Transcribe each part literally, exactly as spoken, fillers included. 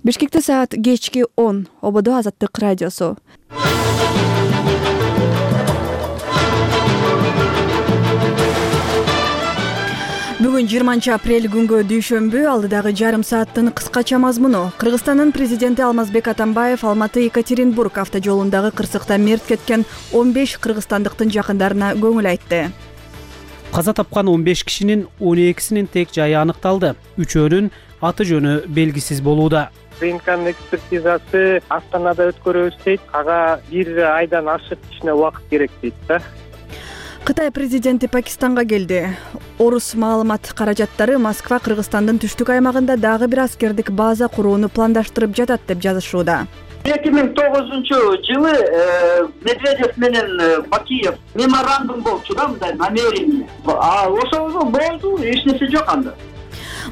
Бишкекте саат кечки он. Ободо Азаттык радиосу. Бүгүн жыйырманчы апрель күнгө дүйшөмбү, алдыдагы жарым сааттын кыскача мазмуну. Кыргызстандын президенти Алмазбек Атамбаев Алматы-Екатеринбург автожолундагы кырсыкта мерт кеткен он беш кыргызстандыктын жакындарына көңүл айтты. Каза тапкан он беш кишинин он экисинин тек жайы аныкталды. Үчөөнүн аты жөнү белгисиз болууда. ДНКнын экспертизасы Астанада өткөрөбүз дейт. Ага бир айдан ашык кичине убакыт керек дейт да. Кытай президенти Пакистанга келди. Орус маалымат каражаттары Москва Кыргызстандын түштүк аймагында дагы бир аскердик база курууну пландаштырып жатат деп жазышууда. эки миң тогузунчу жылы Медведев менен Бакиев меморандум болчу да, мындай намерение. А ошол болду, эч нерсе жок анда.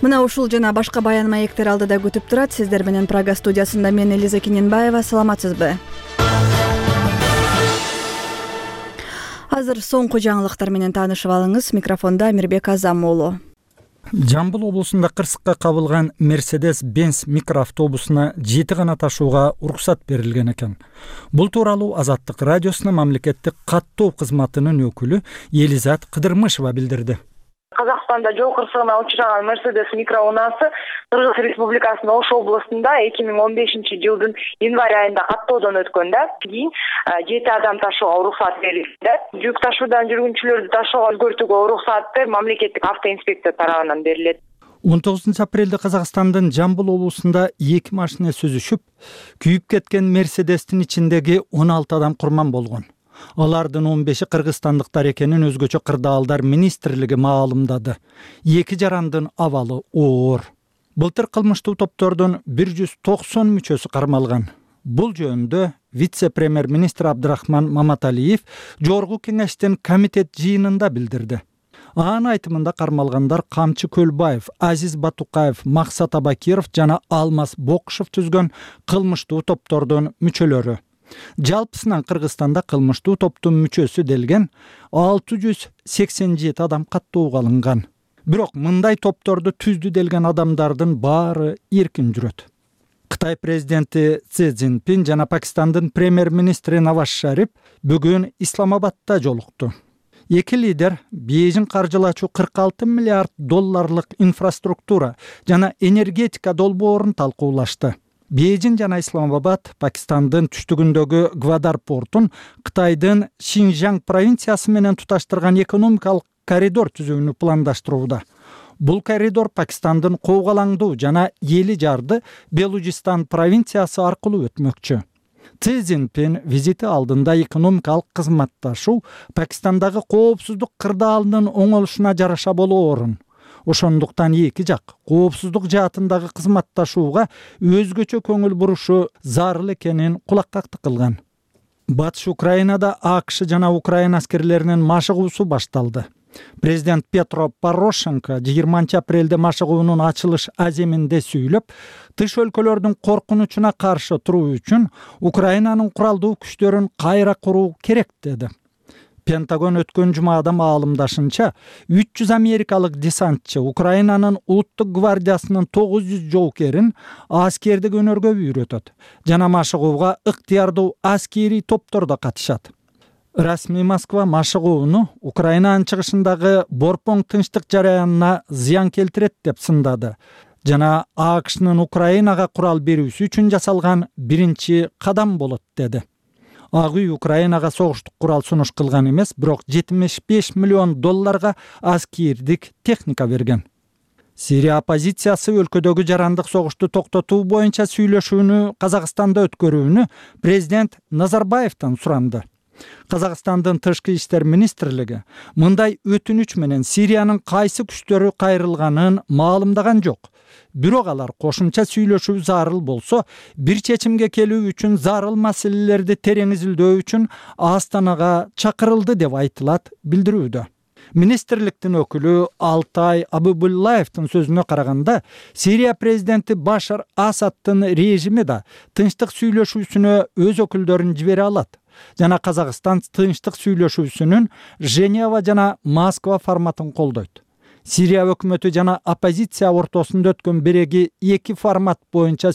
Мына ушул жана башка баян маектер алдыда күтүп турат. Сиздер менен Прага студиясында мен Элиза Киненбаева. Саламатсызбы? Азыр соңку жаңылыктар менен таанышып алыңыз. Микрофонда Амирбек Азам уулу. Жамбыл облусунда кырсыкка кабылган Mercedes-Benz микроавтобусуна жети гана ташууга уруксат берилген экен. Бул тууралуу Азаттык радиосуна мамлекеттик каттоо кызматынын өкүлү Элизат Кыдырмышева билдирди. Казакстанда жол кырсыгына учураган Mercedes микроунаасы Кыргыз Республикасынын Ош областында эки миң он бешинчи жылдын январь айында каттоодон өткөн да. Кийин жети адам ташууга уруксат берилди. Жүк ташуудан жүргүнчүлөрдү ташууга өзгөртүүгө уруксаты мамлекеттик автоинспекция тарабынан берилет. он тогузунчу апрелде Казакстандын Жамбыл облусунда эки машина сүзүшүп, күйүп кеткен Мерседестин ичиндеги он алты адам курман болгон. Алардын он беши кыргызстандыктар экенин өзгөчө кырдаалдар министрлиги маалымдады. Эки жарандын абалы оор. Былтыр кылмыштуу топтордун бир жүз токсон мүчөсү кармалган. Бул жөнүндө вице-премьер-министр Абдрахман Маматалиев Жогорку кеңештин комитет жыйынында билдирди. Анын айтымында кармалгандар Камчы Көлбаев, Азиз Батукаев, Максат Абакиров жана Алмаз Бокушев түзгөн кылмыштуу топтордун мүчөлөрү. Жалпысынан Кыргызстанда кылмыштуу топтун мүчөсү делген алты жүз сексен жети адам каттоого алынган. Бирок мындай топторду түздү делген адамдардын баары эркин жүрөт. Кытай президенти Си Цзиньпин жана Пакистандын премьер-министри Наваз Шариф бүгүн Исламабадта жолукту. Эки лидер Бейжин каржылачу кырк алты миллиард долларлык инфраструктура жана энергетика долбоорун талкуулашты. Бейжин жана Исламабад Пакистандын түштүгүндөгү Гвадар портун Кытайдын Шинжаң провинциясы менен туташтырган экономикалык коридор түзүүнү пландаштырууда. Бул коридор Пакистандын Коогалаңдуу жана Эли жарды Белужистан провинциясы аркылуу өтмөкчү. Си Цзиньпин визити алдында экономикалык кызматташуу Пакистандагы коопсуздук кырдаалынын оңолушуна жараша болоорун, ошондуктан эки жак коопсуздук жаатындагы кызматташууга өзгөчө көңүл бурушу зарыл экенин кулаккактык кылган. Батыш Украинада АКШ жана Украина аскерлеринин машыгуусу башталды. Президент Петро Порошенко жыйырманчы апрелде машыгуунун ачылыш аземинде сүйлөп, тыш өлкөлөрдүн коркунучуна каршы туруу үчүн Украинанын куралдуу күчтөрүн кайра куруу керек деди. Пентагон өткөн жумада маалымдашынча, үч жүз америкалык десантчы Украинанын улуттук гвардиясынын тогуз жүз жоокерин аскердик өнөргө үйрөтөт жана машыгууга ыктыярдуу аскерий топтор да катышат. Расмий Москва машыгууну Украинанын чыгышындагы Борпоң тынчтык жараянына зыян келтирет деп сындады жана АКШнын Украинага курал берүүсү үчүн жасалган биринчи кадам болот деди. Ак үй Украинага согуштук курал сунуш кылган эмес, бирок жетимиш беш миллион долларга аскердик техника берген. Сирия оппозициясы өлкөдөгү жарандык согушту токтотуу боюнча сүйлөшүүнү Казакстанда өткөрүүнү президент Назарбаевтан суранды. Казакстандын тышкы иштер министрлиги мындай өтүнүч менен Сириянын кайсы күчтөрү кайрылганын маалымдаган жок. Бирок алар кошумча сүйлөшүү зарыл болсо, бир чечимге келүү үчүн зарыл маселелерди терең изилдөө үчүн Астанага чакырылды деп айтылат билдирүүдө. Министрликтин өкүлү Алтай Абыбуллаевдин сөзүнө караганда, Сирия президенти Башар Асадтын режими да тынчтык сүйлөшүүсүнө өз өкүлдөрүн жибере алат. Жана Казакстан тынчтык сүйлөшүүсүнүн Женева жана Москва форматын колдойт. Сирия өкмөтү жана оппозиция ортосунда өткөн биреги эки формат боюнча